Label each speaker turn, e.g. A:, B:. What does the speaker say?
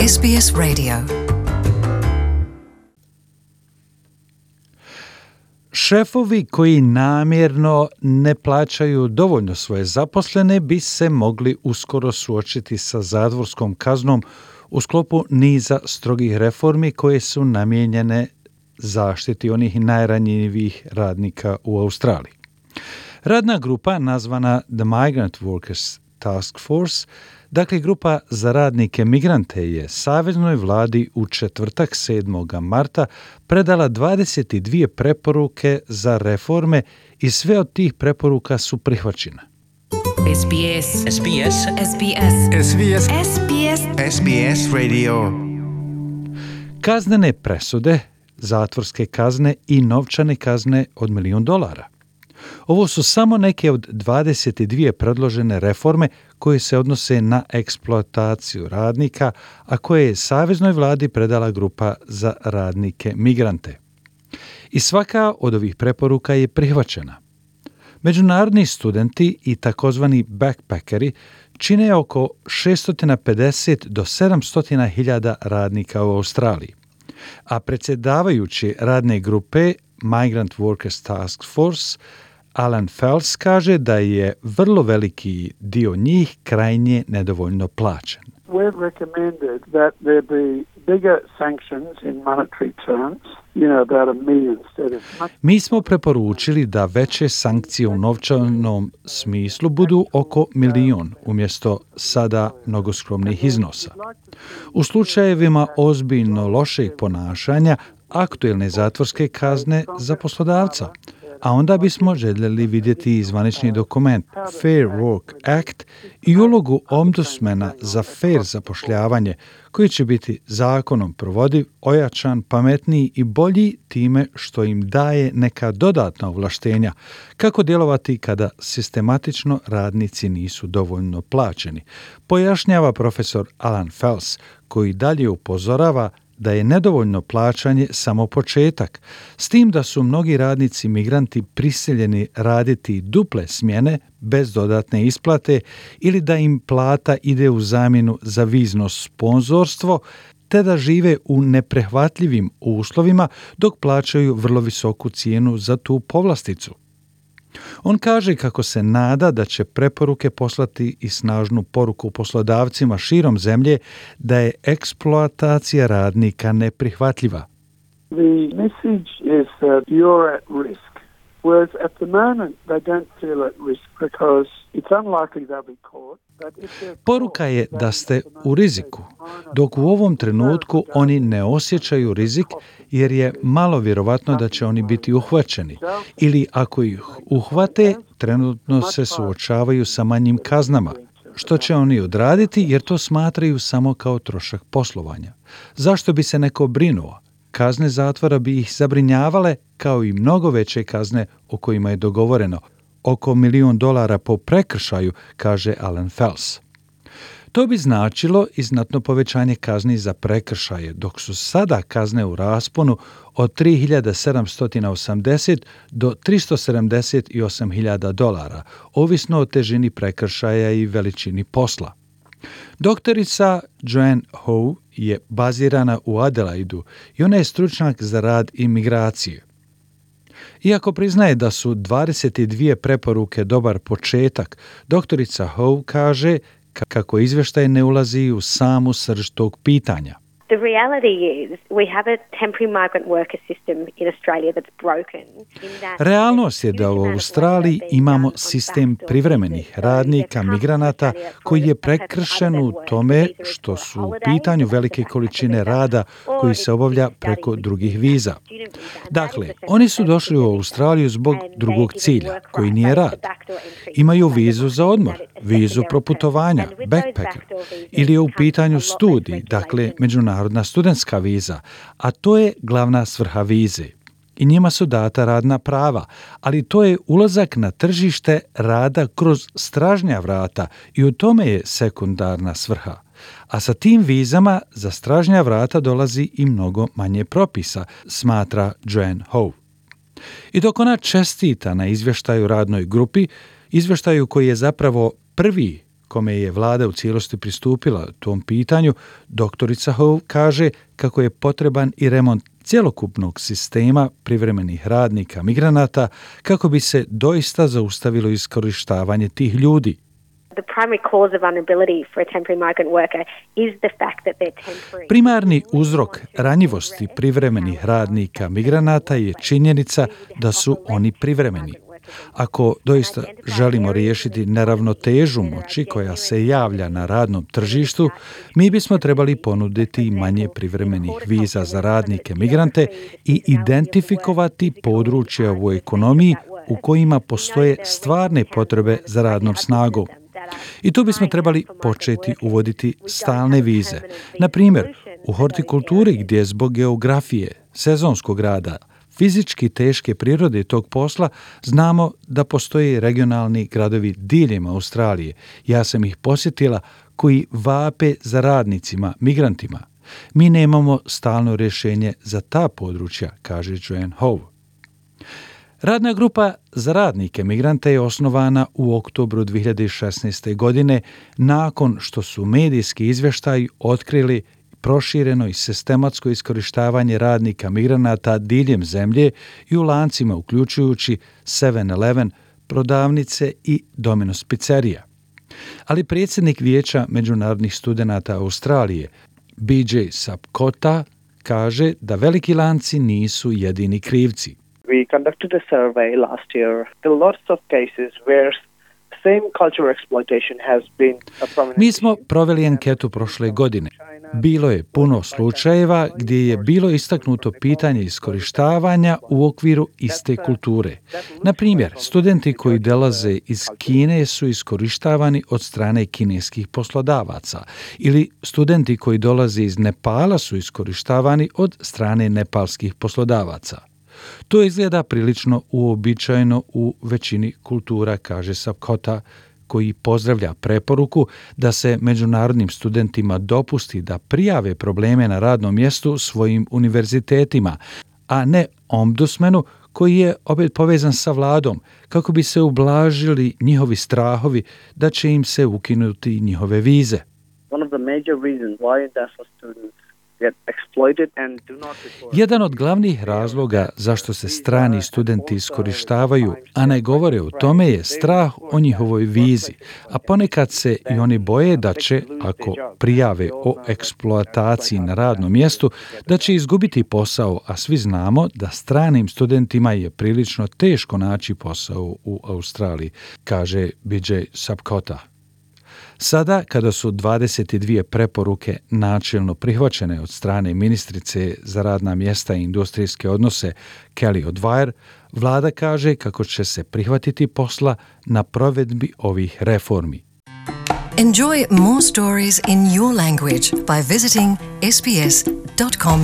A: SBS Radio. Šefovi koji namjerno ne plaćaju dovoljno svoje zaposlene bi se mogli uskoro suočiti sa zatvorskom kaznom u sklopu niza strogih reformi koje su namijenjene zaštiti onih najranjivijih radnika u Australiji. Radna grupa nazvana The Migrant Workers Task Force, dakle grupa za radnike migrante, je Saveznoj vladi u četvrtak 7. marta predala 22 preporuke za reforme i sve od tih preporuka su prihvaćene.
B: SBS Radio.
A: Kaznene presude, zatvorske kazne i novčane kazne od $1 milion. Ovo su samo neke od 22 predložene reforme koje se odnose na eksploataciju radnika, a koje je Saveznoj vladi predala grupa za radnike migrante. I svaka od ovih preporuka je prihvaćena. Međunarodni studenti i takozvani backpackeri čine oko 650 do 700 hiljada radnika u Australiji, a predsjedavajući radne grupe Migrant Workers Task Force Alan Fels kaže da je vrlo veliki dio njih krajnje nedovoljno plaćen.
C: We've recommended that there be bigger sanctions in monetary terms, about $1 million instead of...
A: Mi smo preporučili da veće sankcije u novčanom smislu budu oko $1 milion umjesto sada mnogo skromnih iznosa. U slučajevima ozbiljno lošeg ponašanja, aktuelne zatvorske kazne za poslodavca, a onda bismo željeli vidjeti zvanični dokument Fair Work Act i ulogu ombudsmana za fair zapošljavanje, koji će biti zakonom provodiv, ojačan, pametniji i bolji time što im daje neka dodatna ovlaštenja kako djelovati kada sistematično radnici nisu dovoljno plaćeni, pojašnjava profesor Alan Fels, koji dalje upozorava da je nedovoljno plaćanje samo početak, s tim da su mnogi radnici migranti prisiljeni raditi duple smjene bez dodatne isplate ili da im plata ide u zamjenu za vizno sponzorstvo, te da žive u neprihvatljivim uslovima dok plaćaju vrlo visoku cijenu za tu povlasticu. On kaže kako se nada da će preporuke poslati i snažnu poruku poslodavcima širom zemlje da je eksploatacija radnika neprihvatljiva.
C: The message is that you're at risk, whereas at the moment they don't feel at risk because it's unlikely they'll be caught.
A: Poruka je da ste u riziku, dok u ovom trenutku oni ne osjećaju rizik jer je malo vjerovatno da će oni biti uhvaćeni ili ako ih uhvate, trenutno se suočavaju sa manjim kaznama, što će oni odraditi jer to smatraju samo kao trošak poslovanja. Zašto bi se neko brinuo? Kazne zatvora bi ih zabrinjavale kao i mnogo veće kazne o kojima je dogovoreno, oko $1 milion po prekršaju, kaže Alan Fels. To bi značilo i znatno povećanje kazni za prekršaje, dok su sada kazne u rasponu od $3.780 do $378.000, ovisno o težini prekršaja i veličini posla. Doktorica Joanne Howe je bazirana u Adelaidu i ona je stručnjak za rad i migracije. Iako priznaje da su 22 preporuke dobar početak, doktorica Howe kaže kako izvještaj ne ulazi u samu srž tog pitanja.
D: The reality is we have a temporary migrant worker system in Australia that's broken.
A: Realnost je da u Australiji imamo sistem privremenih radnika, migranata, koji je prekršen u tome što su u pitanju velike količine rada koji se obavlja preko drugih viza. Dakle, oni su došli u Australiju zbog drugog cilja, koji nije rad. Imaju vizu za odmor, vizu proputovanja, backpacker, ili je u pitanju studij, dakle međunarodna studentska viza, a to je glavna svrha vize. I njima su data radna prava, ali to je ulazak na tržište rada kroz stražnja vrata i u tome je sekundarna svrha. A sa tim vizama za stražnja vrata dolazi i mnogo manje propisa, smatra Joanne Howe. I dok ona čestita na izvještaju radnoj grupi, izvještaju koji je zapravo prvi kome je vlada u cijelosti pristupila tom pitanju, doktorica Hove kaže kako je potreban i remont cjelokupnog sistema privremenih radnika migranata kako bi se doista zaustavilo iskorištavanje tih ljudi. Primarni uzrok ranjivosti privremenih radnika migranata je činjenica da su oni privremeni. Ako doista želimo riješiti neravnotežu moći koja se javlja na radnom tržištu, mi bismo trebali ponuditi manje privremenih viza za radnike migrante i identifikovati područja u ekonomiji u kojima postoje stvarne potrebe za radnom snagom. I tu bismo trebali početi uvoditi stalne vize. Na primjer, u hortikulturi gdje zbog geografije, sezonskog rada, fizički teške prirode tog posla, znamo da postoje regionalni gradovi diljem Australije. Ja sam ih posjetila koji vape za radnicima, migrantima. Mi nemamo stalno rješenje za ta područja, kaže Joanne Hove. Radna grupa za radnike migrante je osnovana u oktobru 2016. godine nakon što su medijski izvještaji otkrili prošireno i sistematsko iskorištavanje radnika migranata diljem zemlje i u lancima uključujući 7-Eleven, prodavnice i Domino's pizzerija. Ali predsjednik Vijeća međunarodnih studenata Australije, BJ Sapkota, kaže da veliki lanci nisu jedini krivci.
E: We conducted a survey last year. There are lots of cases where same cultural exploitation has been a prominent.
A: Mi smo proveli anketu prošle godine. Bilo je puno slučajeva gdje je bilo istaknuto pitanje iskorištavanja u okviru iste kulture. Na primjer, studenti koji dolaze iz Kine su iskorištavani od strane kineskih poslodavaca ili studenti koji dolaze iz Nepala su iskorištavani od strane nepalskih poslodavaca. To izgleda prilično uobičajeno u većini kultura, kaže Sapkota, koji pozdravlja preporuku da se međunarodnim studentima dopusti da prijave probleme na radnom mjestu svojim univerzitetima, a ne ombudsmanu koji je opet povezan sa vladom, kako bi se ublažili njihovi strahovi da će im se ukinuti njihove vize. Jedan od glavnih razloga zašto se strani studenti iskorištavaju, a ne govore o tome, je strah o njihovoj vizi, a ponekad se i oni boje da će, ako prijave o eksploataciji na radnom mjestu, da će izgubiti posao, a svi znamo da stranim studentima je prilično teško naći posao u Australiji, kaže BJ Sapkota. Sada, kada su 22 preporuke načelno prihvaćene od strane ministrice za radna mjesta i industrijske odnose Kelly O'Dwyer, vlada kaže kako će se prihvatiti posla na provedbi ovih reformi.
F: Enjoy more stories in your language by visiting sbs.com.au.